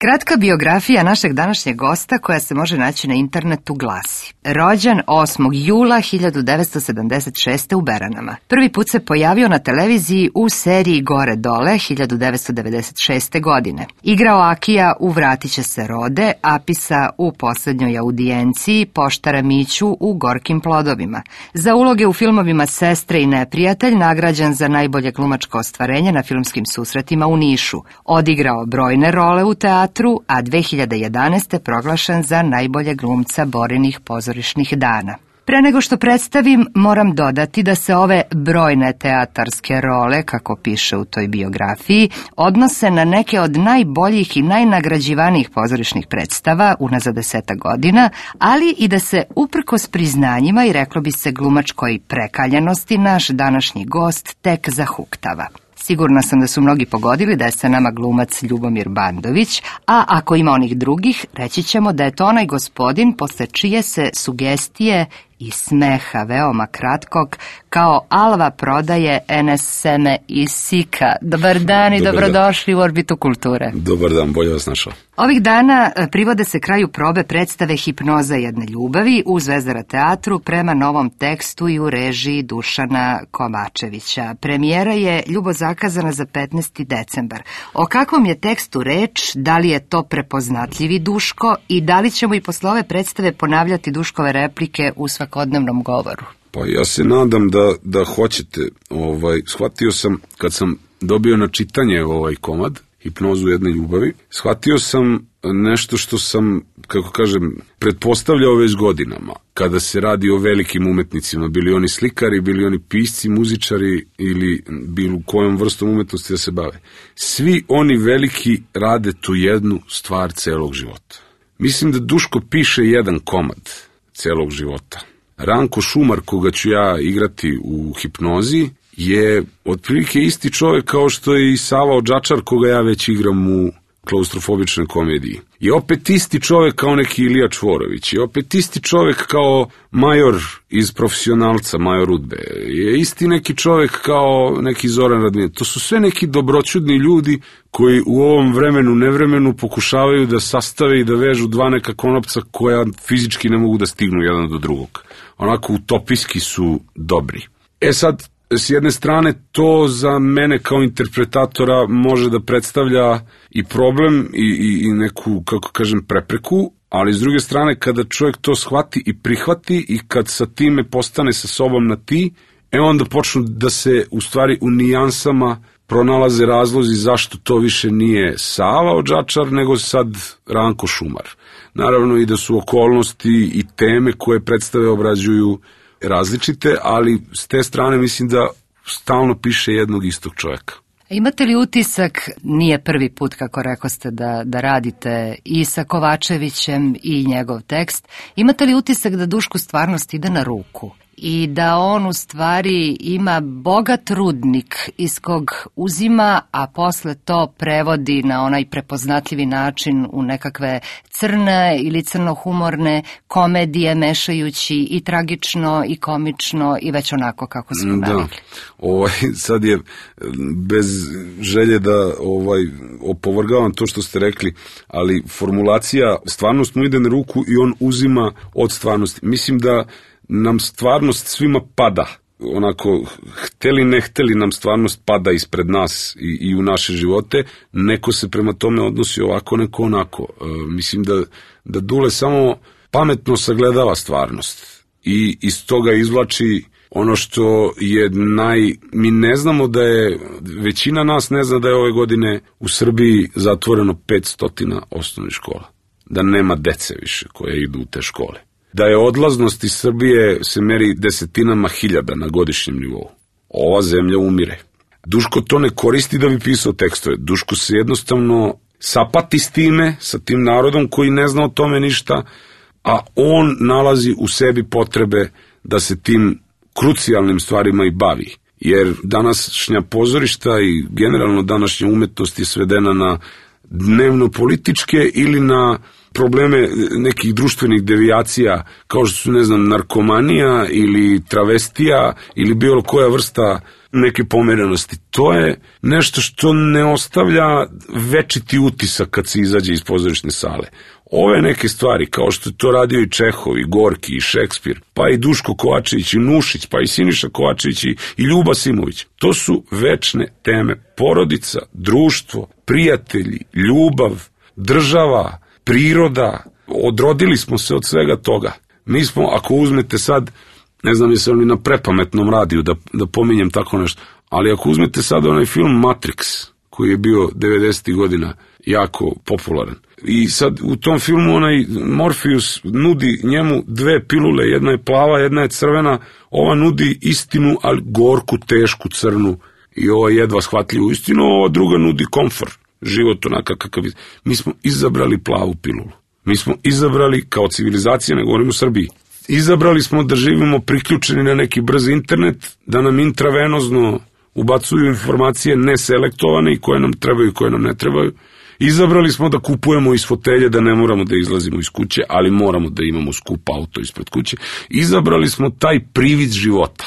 Kratka biografija našeg današnjeg gosta koja se može naći na internetu glasi: rođen 8. jula 1976. u Beranama. Prvi put se pojavio na televiziji u seriji Gore dole 1996. godine. Igrao Akija u Vratit će se rode, Apisa u Poslednjoj audijenciji, poštara Miću u Gorkim plodovima. Za uloge u filmovima Sestre i neprijatelj nagrađen za najbolje glumačko ostvarenje na filmskim susretima u Nišu. Odigrao brojne role u teatru, a 2011. proglašen za najbolje glumca Borinih pozorišnih dana. Pre nego što predstavim, moram dodati da se ove brojne teatarske role, kako piše u toj biografiji, odnose na neke od najboljih i najnagrađivanijih pozorišnih predstava unazad 10 godina, ali i da se uprkos priznanjima i reklo bi se glumačkoj prekaljenosti naš današnji gost tek zahuktava. Sigurna sam da su mnogi pogodili da je sa nama glumac Ljubomir Bandović, a ako ima onih drugih, reći ćemo da je to onaj gospodin posle čije se sugestije i smeha veoma kratkog kao alva prodaje NS Seme iz Sika. Dobar dan i dobrodošli u Orbitu kulture. Dobar dan, bolje vas našao. Ovih dana privode se kraju probe predstave Hipnoza jedne ljubavi u Zvezdara teatru prema novom tekstu i u režiji Dušana Kovačevića. Premijera je ljubo zakazana za 15. decembar. O kakvom je tekstu reč, da li je to prepoznatljivi Duško i da li ćemo i posle ove predstave ponavljati Duškove replike u svakodnevnom govoru? Pa ja se nadam da hoćete. Shvatio sam, kad sam dobio na čitanje ovaj komad, Hipnozu jedne ljubavi, shvatio sam nešto što sam, kako kažem, pretpostavljao već godinama. Kada se radi o velikim umetnicima, bili oni slikari, bili oni pisci, muzičari ili bilo kojom vrstom umetnosti da se bave. Svi oni veliki rade tu jednu stvar celog života. Mislim da Duško piše jedan komad celog života. Ranko Šumar, koga ću ja igrati u Hipnozi, je otprilike isti čovjek kao što je i Sava Odžačar, koga ja već igram u Klaustrofobičnoj komediji. Je opet isti čovjek kao neki Ilija Čvorović, je opet isti čovjek kao major iz Profesionalca, major Udbe, je isti neki čovjek kao neki Zoran Radmir. To su sve neki dobroćudni ljudi koji u ovom vremenu, nevremenu pokušavaju da sastave i da vežu dva neka konopca koja fizički ne mogu da stignu jedan do drugog. Onako utopijski su dobri. Sad, s jedne strane, to za mene kao interpretatora može da predstavlja i problem i neku, kako kažem, prepreku, ali s druge strane, kada čovjek to shvati i prihvati i kad sa time postane sa sobom na ti, onda počnu da se u stvari u nijansama pronalaze razlozi zašto to više nije Sava Odžačar, nego sad Ranko Šumar. Naravno i da su okolnosti i teme koje predstave obrađuju različite, ali s te strane mislim da stalno piše jednog istog čovjeka. Imate li utisak, nije prvi put kako rekoste da radite i sa Kovačevićem i njegov tekst, imate li utisak da Dušku stvarnost ide na ruku i da on u stvari ima bogat rudnik iz kog uzima, a posle to prevodi na onaj prepoznatljivi način u nekakve crne ili crnohumorne komedije, mešajući i tragično i komično i već onako kako smo navikli? Sad je bez želje da opovrgavam to što ste rekli, ali formulacija stvarnost mu ide na ruku i on uzima od stvarnosti. Mislim da nam stvarnost svima pada, onako, hteli ne hteli nam stvarnost pada ispred nas i u naše živote, neko se prema tome odnosi ovako, neko onako. Mislim da Dule samo pametno sagledava stvarnost i iz toga izvlači ono što je mi ne znamo da je, većina nas ne zna da je ove godine u Srbiji zatvoreno 500 osnovnih škola, da nema dece više koje idu u te škole, da je odlaznost iz Srbije se meri desetinama hiljada na godišnjem nivou. Ova zemlja umire. Duško to ne koristi da bi pisao tekstove. Duško se jednostavno sapati s time, sa tim narodom koji ne zna o tome ništa, a on nalazi u sebi potrebe da se tim krucijalnim stvarima i bavi. Jer današnja pozorišta i generalno današnja umetnost je svedena na dnevno političke ili na probleme nekih društvenih devijacija, kao što su, ne znam, narkomanija ili travestija ili bilo koja vrsta neke pomerenosti. To je nešto što ne ostavlja večiti utisak kad se izađe iz pozorišne sale. Ove neke stvari, kao što je to radio i Čehov, i Gorki, i Šekspir, pa i Duško Kovačević, i Nušić, pa i Siniša Kovačević, i Ljuba Simović. To su večne teme. Porodica, društvo, prijatelji, ljubav, država, priroda. Odrodili smo se od svega toga. Mi smo, ako uzmete sad, ne znam jesam li na prepametnom radiju da pominjem tako nešto, ali ako uzmete sad onaj film Matrix, koji je bio 90. godina jako popularan, i sad u tom filmu onaj Morpheus nudi njemu dve pilule, jedna je plava, jedna je crvena, ova nudi istinu, ali gorku, tešku, crnu, i ova jedva shvatljivu istinu, ova druga nudi komfor, život onaka kakav je. Mi smo izabrali plavu pilulu. Mi smo izabrali, kao civilizacija, ne govorim u Srbiji, izabrali smo da živimo priključeni na neki brz internet, da nam intravenozno ubacuju informacije neselektovane i koje nam trebaju i koje nam ne trebaju. Izabrali smo da kupujemo iz fotelje, da ne moramo da izlazimo iz kuće, ali moramo da imamo skup auto ispred kuće. Izabrali smo taj privid života.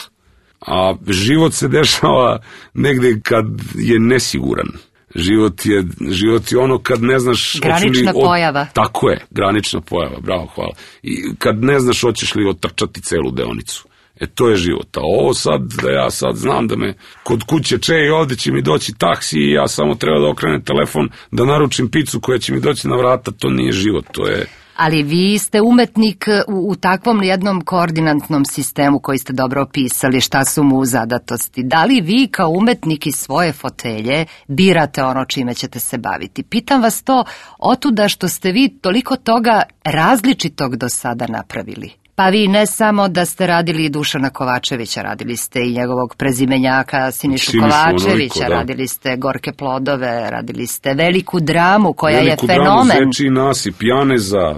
A život se dešava negde kad je nesiguran. Život je ono kad ne znaš... Granična pojava. Tako je, granična pojava, bravo, hvala. I kad ne znaš hoćeš li otrčati celu deonicu. To je život. A ovo sad, da ja sad znam da me kod kuće i ovde će mi doći taksi i ja samo treba da okrenem telefon, da naručim picu koja će mi doći na vrata, to nije život, to je... Ali vi ste umetnik u takvom jednom koordinatnom sistemu koji ste dobro opisali, šta su mu zadatosti. Da li vi kao umetnik iz svoje fotelje birate ono čime ćete se baviti? Pitam vas to otuda što ste vi toliko toga različitog do sada napravili. Pa vi ne samo da ste radili Dušana Kovačevića, radili ste i njegovog prezimenjaka Sinišu Kovačevića, radili ste Gorke plodove, radili ste veliku dramu koja je fenomen. Veliku dramu, Zeči nasip, Janeza,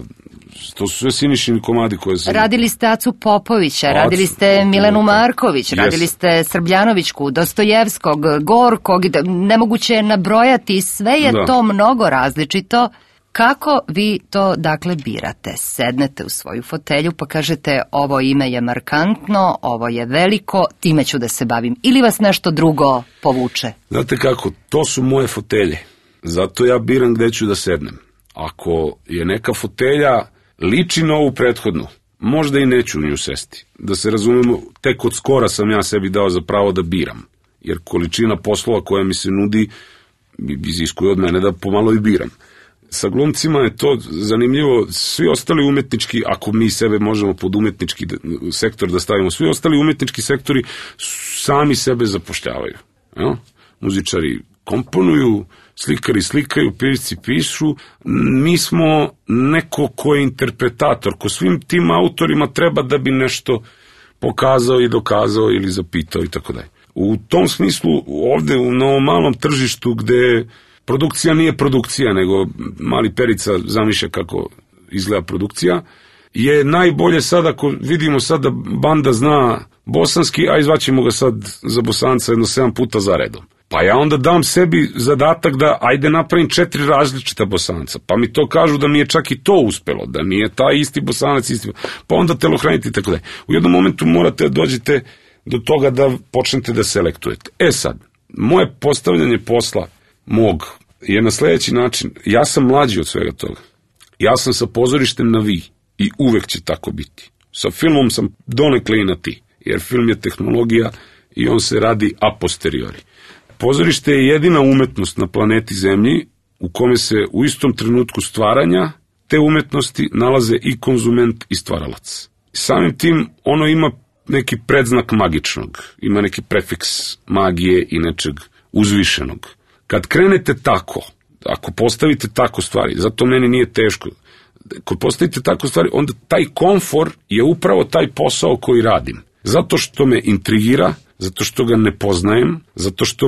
to su sve Sinišini komadi koje se... Radili ste Acu Popovića, radili ste Milenu Marković, radili ste Srbljanovićku, Dostojevskog, Gorkog, nemoguće je nabrojati, sve je to mnogo različito. Kako vi to, dakle, birate? Sednete u svoju fotelju pa kažete ovo ime je markantno, ovo je veliko, time ću da se bavim. Ili vas nešto drugo povuče? Znate kako, to su moje fotelje. Zato ja biram gde ću da sednem. Ako je neka fotelja liči na ovu prethodnu, možda i neću u nju sesti. Da se razumemo, tek od skora sam ja sebi dao za pravo da biram. Jer količina poslova koja mi se nudi iziskuje od mene da pomalo i biram. Sa glumcima je to zanimljivo, svi ostali umetnički, ako mi sebe možemo pod umetnički sektor da stavimo, svi ostali umetnički sektori sami sebe zapošljavaju. Ja? Muzičari komponuju, slikari slikaju, pisci pišu, mi smo neko ko je interpretator, ko svim tim autorima treba da bi nešto pokazao i dokazao ili zapitao i tako dalje. U tom smislu ovde na ovom malom tržištu gde produkcija nije produkcija, nego mali Perica zamišlja kako izgleda produkcija, je najbolje sad ako vidimo sad da banda zna bosanski, a izvaćemo ga sad za Bosanca jedno 7 puta za redom. Pa ja onda dam sebi zadatak da ajde napravim 4 različita Bosanca, pa mi to kažu da mi je čak i to uspelo, da nije taj isti Bosanac isti, pa onda telohranite i tako dalje. U jednom momentu morate da dođete do toga da počnete da selektujete. Sad, moje postavljanje posla mog je na sledeći način. Ja sam mlađi od svega toga. Ja sam sa pozorištem na vi i uvek će tako biti. Sa filmom sam donekle i na ti, jer film je tehnologija i on se radi a posteriori. Pozorište je jedina umetnost na planeti Zemlji u kome se u istom trenutku stvaranja te umetnosti nalaze i konzument i stvaralac. Samim tim ono ima neki predznak magičnog, ima neki prefiks magije i nečeg uzvišenog. Kad krenete tako, ako postavite tako stvari, zato meni nije teško, kad postavite tako stvari, onda taj komfor je upravo taj posao koji radim. Zato što me intrigira, zato što ga ne poznajem, zato što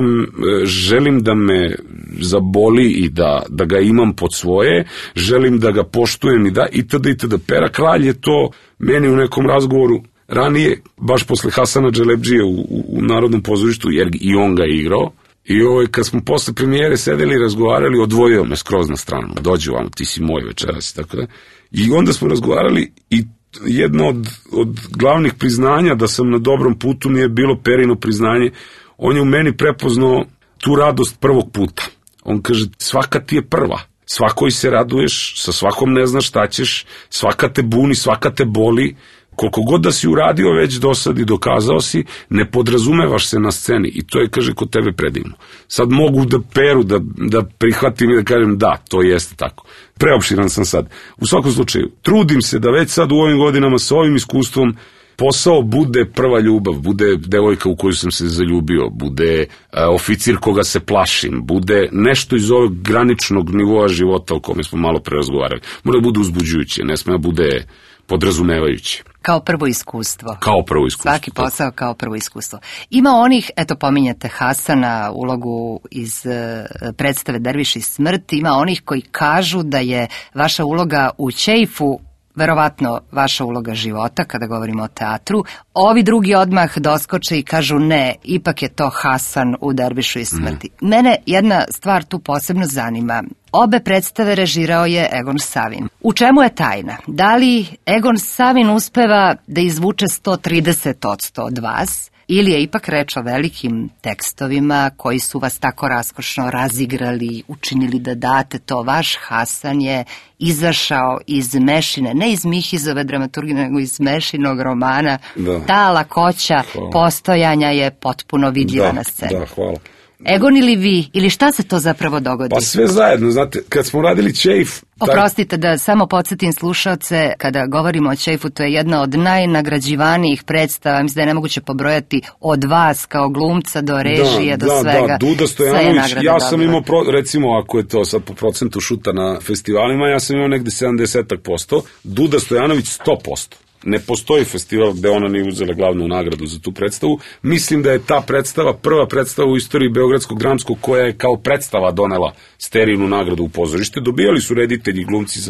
želim da me zaboli i da ga imam pod svoje, želim da ga poštujem i da itd. Pera Kralj je to meni u nekom razgovoru ranije, baš posle Hasana Dželebdžije u Narodnom pozorištu, jer i on ga je igrao, I kad smo posle premijere sedeli i razgovarali, odvojio me skroz na stranu. Dođi vam, ti si moj večeras, tako da. I onda smo razgovarali i jedno od glavnih priznanja da sam na dobrom putu mi je bilo Perino priznanje. On je u meni prepoznao tu radost prvog puta. On kaže, svaka ti je prva. Svakoj se raduješ, sa svakom ne znaš šta ćeš, svaka te buni, svaka te boli. Koliko god da si uradio već do sad i dokazao si, ne podrazumevaš se na sceni i to je, kaže, kod tebe predivno. Sad mogu da peru, da prihvatim i da kažem da, to jeste tako. Preopširan sam sad. U svakom slučaju, trudim se da već sad u ovim godinama sa ovim iskustvom posao bude prva ljubav, bude devojka u koju sam se zaljubio, bude oficir koga se plašim, bude nešto iz ovog graničnog nivoa života o kome smo malo pre razgovarali. Mora da bude uzbuđujuće, ne sme da bude podrazumevajuće. Kao prvo iskustvo. Kao prvo iskustvo. Svaki posao kao prvo iskustvo. Ima onih, eto pominjate Hasana, ulogu iz predstave Derviš i smrt, ima onih koji kažu da je vaša uloga u Ćeifu verovatno vaša uloga života, kada govorimo o teatru. Ovi drugi odmah doskoče i kažu ne, ipak je to Hasan u Dervišu i smrti. Mene jedna stvar tu posebno zanima. Obe predstave režirao je Egon Savin. U čemu je tajna? Da li Egon Savin uspeva da izvuče 130% od vas, ili je ipak reč o velikim tekstovima koji su vas tako raskošno razigrali, učinili da date to? Vaš Hasan je izašao iz Mešine, ne iz Mihizove dramaturgije, nego iz Mešinog romana. Da. Ta lakoća postojanja je potpuno vidljiva na sceni. Da, hvala. Egon ili vi, ili šta se to zapravo dogodi? Pa sve zajedno, znate, kad smo radili Ćeif... Oprostite da samo podsjetim slušaoce, kada govorimo o Ćeifu, to je jedna od najnagrađivanijih predstava, mislim da je nemoguće pobrojati od vas kao glumca do režije, do svega. Da, Duda Stojanović, ja sam imao, recimo ako je to sad po procentu šuta na festivalima, ja sam imao negde 70%, Duda Stojanović 100%. Ne postoji festival gde ona nije uzela glavnu nagradu za tu predstavu. Mislim da je ta predstava prva predstava u istoriji Beogradskog dramskog koja je kao predstava donela sterijnu nagradu u pozorište. Dobijali su reditelji i glumci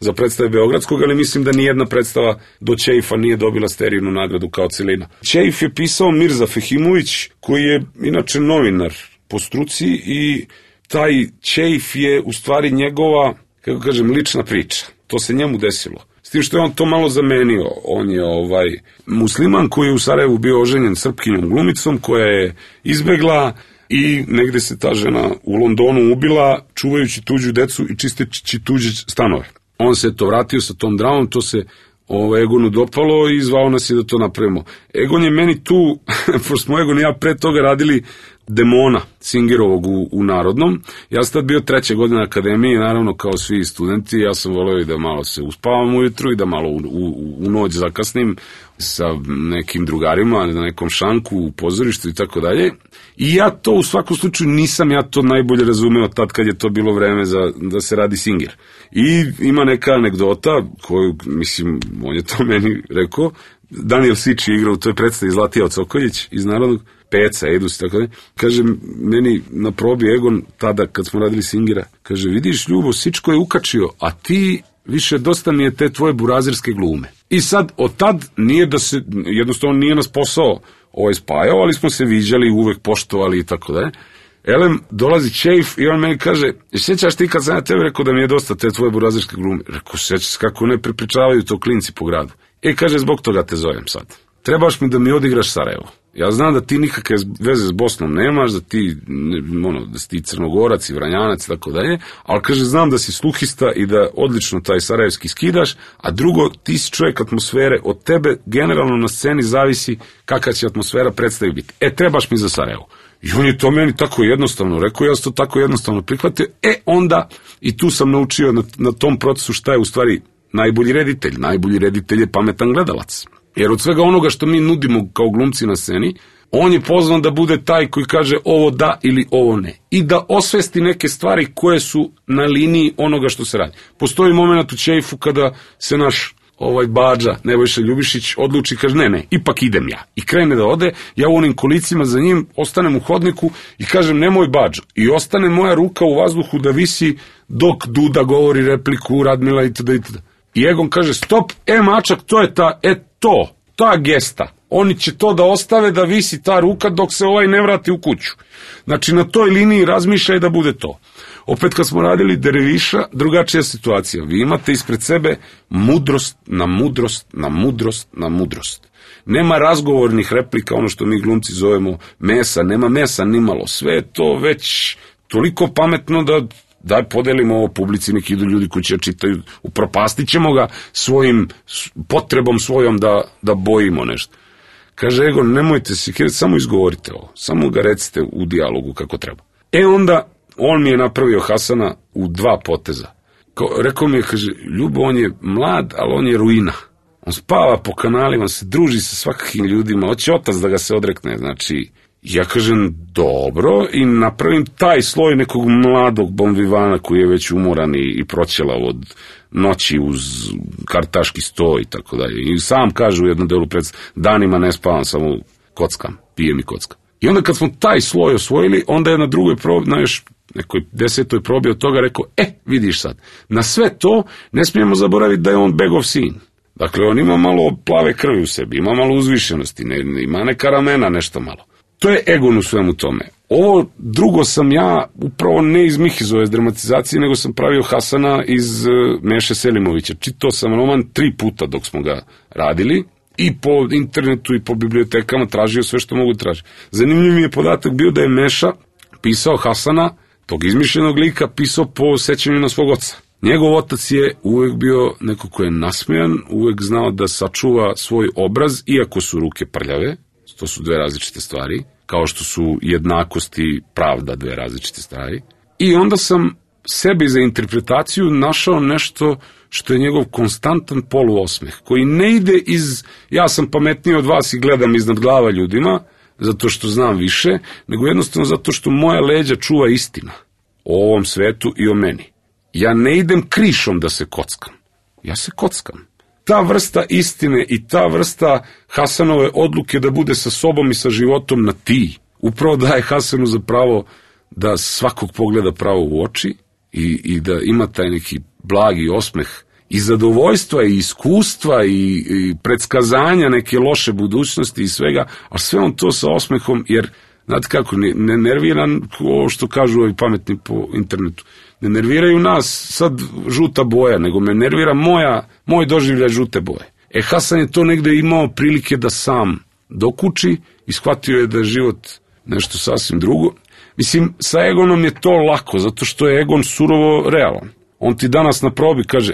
za predstave Beogradskog, ali mislim da nijedna predstava do Ćeifa nije dobila sterijnu nagradu kao celina. Ćeif je pisao Mirza Fehimović, koji je inače novinar po struci, i taj Ćeif je u stvari njegova, kako kažem, lična priča. To se njemu desilo. S tim što je on to malo zamenio. On je musliman koji je u Sarajevu bio oženjen Srpkinjom glumicom koja je izbegla i negde se ta žena u Londonu ubila čuvajući tuđu decu i čisteći tuđe stanove. On se to vratio sa tom dramom, to se Egonu dopalo i zvao nas je da to napravimo. Egon je meni tu, pošto smo Egon i ja pre toga radili Demona Singerovog u Narodnom. Ja sam tad bio 3. godina akademije, naravno kao svi studenti, ja sam voleo i da malo se uspavam ujutru i da malo u noć zakasnim sa nekim drugarima na nekom šanku u pozorištu i tako dalje. I ja to u svakom slučaju nisam ja to najbolje razumeo tad kad je to bilo vreme da se radi Singer. I ima neka anegdota koju, mislim, on je to meni rekao. Daniel Sič je igrao u toj predstavi Zlatija Cokoljić iz Narodnog, Peca, Edus i tako da. Kaže meni na probi Egon, tada kad smo radili Singera, kaže, vidiš Ljubo, Sičko je ukačio, a ti više dosta mi je te tvoje burazirske glume. I sad, od tad nije da se, jednostavno nije nas posao spajao, ali smo se viđali, uvek poštovali i tako da. Elem, dolazi Ćeif i on meni kaže, sjećaš ti kad sam ja tebe rekao da mi je dosta te tvoje burazirske glume? Rekao, sjećaš se kako ne prepričavaju to klinci po gradu. Kaže, zbog toga te zovem sad. Trebaš mi da mi odigraš Sarajevo. Ja znam da ti nikakve veze s Bosnom nemaš, da si ti Crnogorac i Vranjanac i tako dalje, ali kaže, znam da si sluhista i da odlično taj sarajevski skidaš, a drugo, ti si čovjek atmosfere, od tebe generalno na sceni zavisi kakva će atmosfera predstavi biti. Trebaš mi za Sarajevo. I on je to meni tako jednostavno rekao, ja sam to tako jednostavno prihvatio, onda i tu sam naučio na tom procesu šta je u stvari najbolji reditelj. Najbolji reditelj je pametan gledalac. Jer od svega onoga što mi nudimo kao glumci na sceni, on je pozvan da bude taj koji kaže ovo da ili ovo ne. I da osvesti neke stvari koje su na liniji onoga što se radi. Postoji moment u Ćeifu kada se naš Bađa, Nebojša Ljubišić, odluči, kaže ne, ipak idem ja. I krene da ode, ja u onim kolicima za njim ostanem u hodniku i kažem nemoj Bađo. I ostane moja ruka u vazduhu da visi dok Duda govori repliku, Radmila itd. I Egon kaže stop, mačak, to je ta gesta. Oni će to da ostave da visi ta ruka dok se ovaj ne vrati u kuću. Znači, na toj liniji razmišljaj da bude to. Opet kad smo radili Derviša, drugačija situacija. Vi imate ispred sebe mudrost na mudrost na mudrost na mudrost. Nema razgovornih replika, ono što mi glumci zovemo mesa, nema mesa nimalo. Sve je to već toliko pametno da daj podelimo ovo publici, neki idu ljudi koji će čitaju, upropastit ćemo ga svojim potrebom svojom da bojimo nešto. Kaže Egon, nemojte se, samo izgovorite ovo, samo ga recite u dijalogu kako treba. Onda on mi je napravio Hasana u 2 poteza. Rekao mi je, kaže, Ljubo, on je mlad, ali on je ruina. On spava po kanalima, se druži sa svakakvim ljudima, hoće otac da ga se odrekne, znači, ja kažem, dobro, i napravim taj sloj nekog mladog bonvivana koji je već umoran i proćelav od noći uz kartaški sto i tako dalje. I sam kaže u jednom delu danima ne spavam, samo kockam, pijem i kockam. I onda kad smo taj sloj osvojili, onda je na drugoj probi, na još nekoj 10. probi od toga rekao, vidiš sad, na sve to ne smijemo zaboraviti da je on begov sin. Dakle, on ima malo plave krvi u sebi, ima malo uzvišenosti, ima neka ramena, nešto malo. To je Egon u svemu tome. Ovo drugo sam ja upravo ne iz Mihizove dramatizacije, nego sam pravio Hasana iz Meše Selimovića. Čitao sam roman 3 puta dok smo ga radili i po internetu i po bibliotekama tražio sve što mogu tražiti. Zanimljiv mi je podatak bio da je Meša pisao Hasana, tog izmišljenog lika, pisao po sećanju na svog oca. Njegov otac je uvek bio neko ko je nasmejan, uvek znao da sačuva svoj obraz, iako su ruke prljave. To su 2 različite stvari, kao što su jednakost i pravda 2 različite stvari. I onda sam sebi za interpretaciju našao nešto što je njegov konstantan poluosmeh, koji ne ide iz ja sam pametniji od vas i gledam iznad glava ljudima, zato što znam više, nego jednostavno zato što moja leđa čuva istina o ovom svetu i o meni. Ja ne idem krišom da se kockam, ja se kockam. Ta vrsta istine i ta vrsta Hasanove odluke da bude sa sobom i sa životom na ti, upravo daje Hasanu za pravo da svakog pogleda pravo u oči i da ima taj neki blagi osmeh i zadovoljstva i iskustva i predskazanja neke loše budućnosti i svega, a sve on to sa osmehom, jer, znate kako, ne nerviran ovo što kažu ovi pametni po internetu. Ne nerviraju nas sad žuta boja, nego me nervira moj doživljaj žute boje. Hasan je to negde imao prilike da sam dokuči i shvatio je da je život nešto sasvim drugo. Mislim, sa Egonom je to lako, zato što je Egon surovo realan. On ti danas na probi kaže,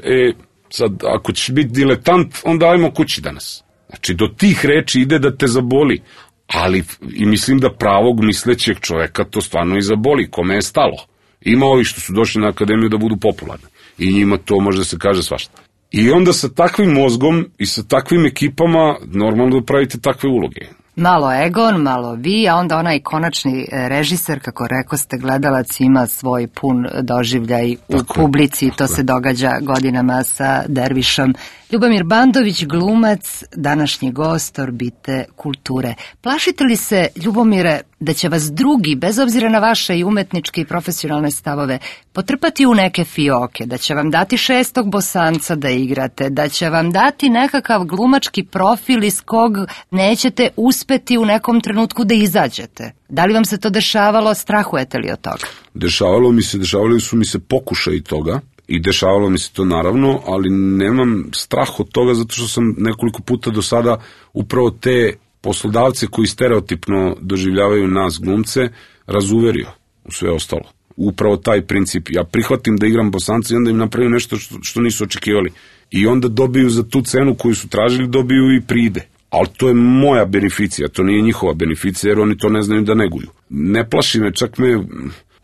sad ako ćeš biti diletant, onda ajmo kući danas. Znači, do tih reči ide da te zaboli. Ali, i mislim da pravog mislećeg čoveka to stvarno i zaboli, kome je stalo. Ima ovi što su došli na akademiju da budu popularni. I njima to može da se kaže svašta. I onda sa takvim mozgom i sa takvim ekipama normalno da pravite takve uloge. Malo Egon, malo vi, a onda onaj konačni režiser, kako rekoste, gledalac ima svoj pun doživljaj u publici, to se događa godinama sa Dervišom. Ljubomir Bandović, glumac, današnji gost Orbite kulture. Plašite li se, Ljubomire, da će vas drugi, bez obzira na vaše i umetničke i profesionalne stavove, potrpati u neke fioke, da će vam dati 6. Bosanca da igrate, da će vam dati nekakav glumački profil iz kog nećete uspeti u nekom trenutku da izađete? Da li vam se to dešavalo, strahujete li od toga? Dešavali su mi se pokušaj toga. I dešavalo mi se to naravno, ali nemam strah od toga zato što sam nekoliko puta do sada upravo te poslodavce koji stereotipno doživljavaju nas glumce razuverio u sve ostalo. Upravo taj princip. Ja prihvatim da igram Bosanca i onda im napravim nešto što nisu očekivali. I onda dobiju za tu cenu koju su tražili, dobiju i pride. Ali to je moja beneficija, to nije njihova beneficija jer oni to ne znaju da neguju. Ne plaši me, čak me,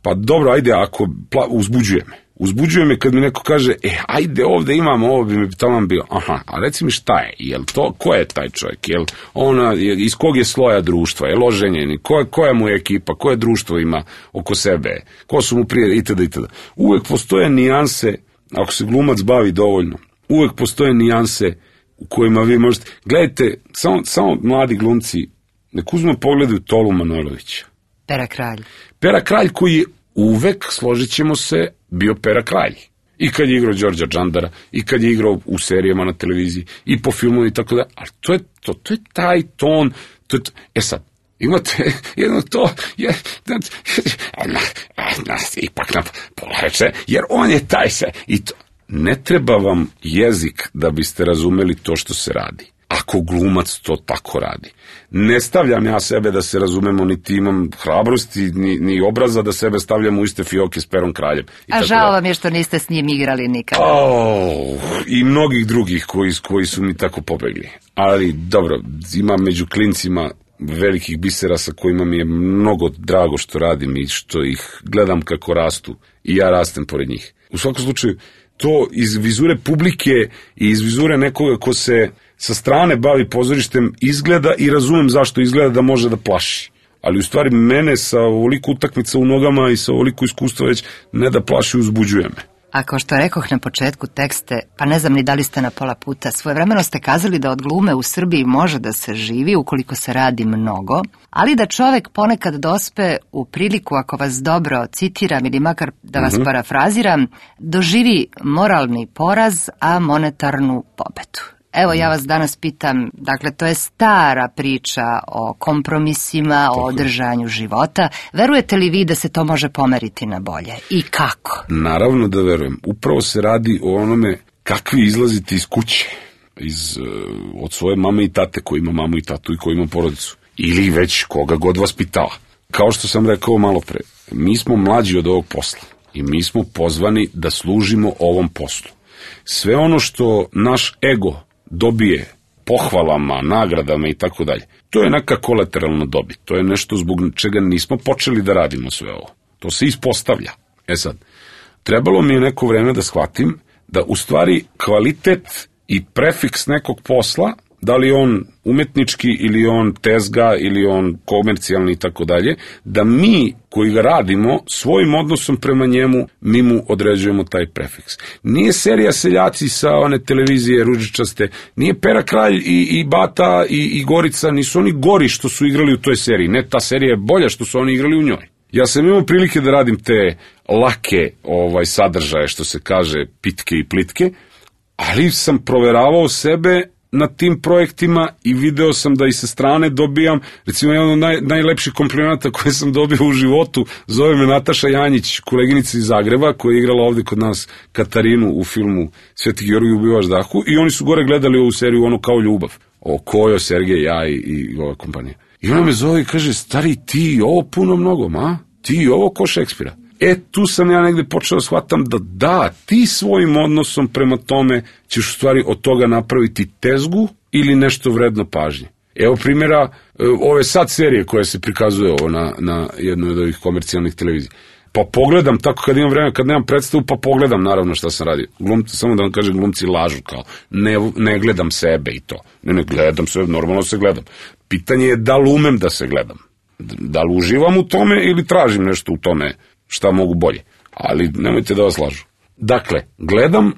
pa dobro, ajde, ako uzbuđuje me. Uzbuđuje me kad mi neko kaže, ajde ovde imamo, ovo bi mi tamo bio. Aha, a reci mi šta je, jel to, ko je taj čovjek, jel ona, iz kog je sloja društva, jel oženjeni, koja mu je ekipa, koje društvo ima oko sebe, ko su mu prije, itd. Uvek postoje nijanse, ako se glumac bavi dovoljno, uvek postoje nijanse u kojima vi možete, gledajte, samo mladi glumci, nek uzme pogledaju Tolu Manojlovića. Pera Kralj. Pera Kralj koji je uvek, složit ćemo se, bio Pera Kralj. I kad je igrao Đorđa Džandara, i kad je igrao u serijama na televiziji, i po filmu i tako da. Ali to je taj ton. Sad, imate jedno to, ipak nam polače, jer on je taj se. I to. Ne treba vam jezik da biste razumeli to što se radi. Ako glumac to tako radi. Ne stavljam ja sebe da se razumemo, niti imam hrabrosti, ni obraza da sebe stavljam u iste fioke s Perom Kraljem. A žao vam je što niste s njim igrali nikada. I mnogih drugih koji su mi tako pobegli. Ali dobro, imam među klincima velikih bisera sa kojima mi je mnogo drago što radim i što ih gledam kako rastu i ja rastem pored njih. U svakom slučaju, to iz vizure publike i iz vizure nekoga ko se sa strane bavi pozorištem izgleda i razumem zašto izgleda da može da plaši. Ali u stvari mene sa ovoliko utakmica u nogama i sa ovoliko iskustva već ne da plaši, uzbuđuje me. A kao što rekoh na početku tekste, pa ne znam ni da li ste na pola puta, svojevremeno ste kazali da od glume u Srbiji može da se živi ukoliko se radi mnogo, ali da čovek ponekad dospe u priliku, ako vas dobro citiram ili makar da vas parafraziram, doživi moralni poraz, a monetarnu pobedu. Evo, ja vas danas pitam, dakle, to je stara priča o kompromisima, o održanju života. Verujete li vi da se to može pomeriti na bolje? I kako? Naravno da verujem. Upravo se radi o onome kakvi izlazite iz kuće, od svoje mame i tate, koji ima mamu i tatu i koji ima porodicu. Ili već koga god vas pitala. Kao što sam rekao malo pre, mi smo mlađi od ovog posla i mi smo pozvani da služimo ovom poslu. Sve ono što naš ego dobije pohvalama, nagradama i tako dalje, to je neka kolateralna dobit. To je nešto zbog čega nismo počeli da radimo sve ovo. To se ispostavlja. Sad, trebalo mi je neko vreme da shvatim da u stvari kvalitet i prefiks nekog posla, da li on umetnički ili on tezga ili on komercijalni i tako dalje, da mi koji ga radimo svojim odnosom prema njemu, mi mu određujemo taj prefiks. Nije serija Seljaci sa one televizije ružičaste, nije Pera Kralj i Bata i Gorica, nisu oni gori što su igrali u toj seriji. Ne, ta serija je bolja što su oni igrali u njoj. Ja sam imao prilike da radim te lake sadržaje, što se kaže, pitke i plitke, ali sam proveravao sebe na tim projektima i video sam da i sa strane dobijam, recimo jedan od najlepših komplimenata koje sam dobio u životu, zove me Nataša Janjić, koleginica iz Zagreba, koja je igrala ovde kod nas Katarinu u filmu Sveti Georgij ubivač Dahu, i oni su gore gledali ovu seriju ono kao ljubav, o Kojo, Sergej, ja i ova kompanija. I ona me zove i kaže, stari, ti ovo puno mnogo, ma? Ti ovo ko Šekspira. Tu sam ja negde počeo da shvatam da ti svojim odnosom prema tome ćeš u stvari od toga napraviti tezgu ili nešto vredno pažnje. Evo primjera ove sad serije koje se prikazuje ovo na jednoj od ovih komercijalnih televizija. Pa pogledam tako kad imam vreme, kad nemam predstavu, pa pogledam naravno šta sam radio. Samo da vam kažem, glumci lažu kao, ne gledam sebe i to. Ne gledam sebe, normalno se gledam. Pitanje je da li umem da se gledam. Da li uživam u tome ili tražim nešto u tome šta mogu bolje. Ali nemojte da vas lažu. Dakle, gledam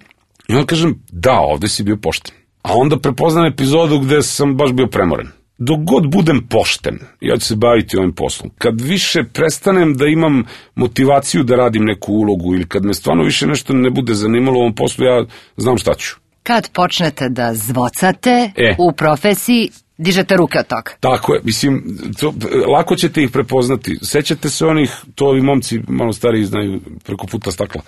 i onda kažem, da, ovde si bio pošten. A onda prepoznam epizodu gde sam baš bio premoren. Dok god budem pošten, ja ću se baviti ovim poslom. Kad više prestanem da imam motivaciju da radim neku ulogu ili kad me stvarno više nešto ne bude zanimalo u ovom poslu, ja znam šta ću. Kad počnete da zvocate u profesiji, dižete ruke od toga. Tako je, mislim, lako ćete ih prepoznati. Sećate se onih, to ovi momci malo stariji znaju preko puta stakla.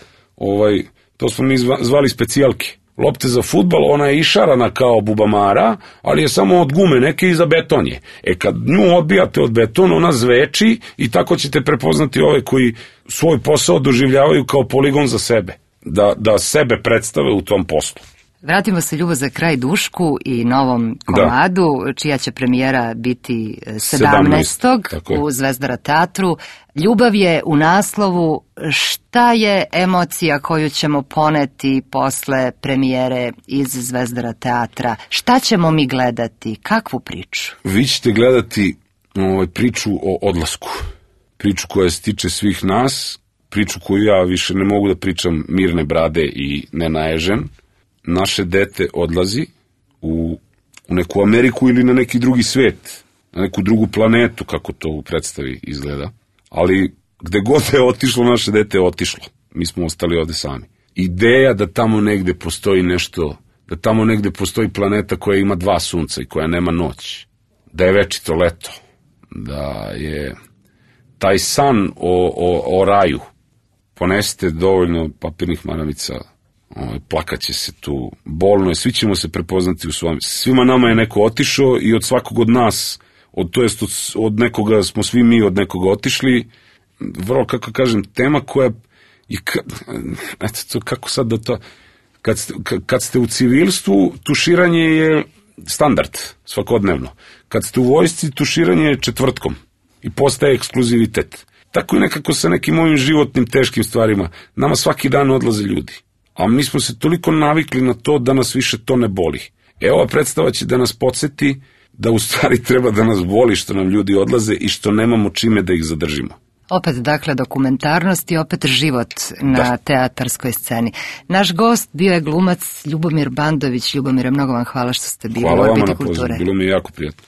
To smo mi zvali specijalke. Lopte za fudbal, ona je išarana kao bubamara, ali je samo od gume neke i za beton je. Kad nju odbijate od betona, ona zveči i tako ćete prepoznati ove koji svoj posao doživljavaju kao poligon za sebe. Da sebe predstave u tom poslu. Vratimo se, Ljubav za kraj, Dušku i novom komadu, čija će premijera biti 17. u Zvezdara teatru. Ljubav je u naslovu. Šta je emocija koju ćemo poneti posle premijere iz Zvezdara teatra? Šta ćemo mi gledati? Kakvu priču? Vi ćete gledati priču o odlasku. Priču koja se tiče svih nas, priču koju ja više ne mogu da pričam mirne brade i nenaježen. Naše dete odlazi u neku Ameriku ili na neki drugi svet, na neku drugu planetu, kako to u predstavi izgleda. Ali gde god je otišlo, naše dete je otišlo. Mi smo ostali ovde sami. ideja da tamo negde postoji nešto, da tamo negde postoji planeta koja ima 2 sunca i koja nema noć, da je večito leto, da je taj san o raju. Ponesite dovoljno papirnih maramica, plakaće se tu, bolno je, svi ćemo se prepoznati u svom. Svima nama je neko otišao i od svakog od nas, od nekoga smo svi mi od nekoga otišli. Vrlo, kako kažem, tema koja i eto, kako sad da to, kad ste u civilstvu, tuširanje je standard, svakodnevno. Kad ste u vojsci, tuširanje je četvrtkom i postaje ekskluzivitet. Tako i nekako sa nekim ovim životnim teškim stvarima. Nama svaki dan odlaze ljudi. A mi smo se toliko navikli na to da nas više to ne boli. Ova predstava će da nas podsjeti da u stvari treba da nas boli što nam ljudi odlaze i što nemamo čime da ih zadržimo. Opet, dakle, dokumentarnost i opet život na teatarskoj sceni. Naš gost bio je glumac Ljubomir Bandović. Ljubomire, mnogo vam hvala što ste bili u Orbiti kulture. Hvala vama na pozivu, bilo mi je jako prijatno.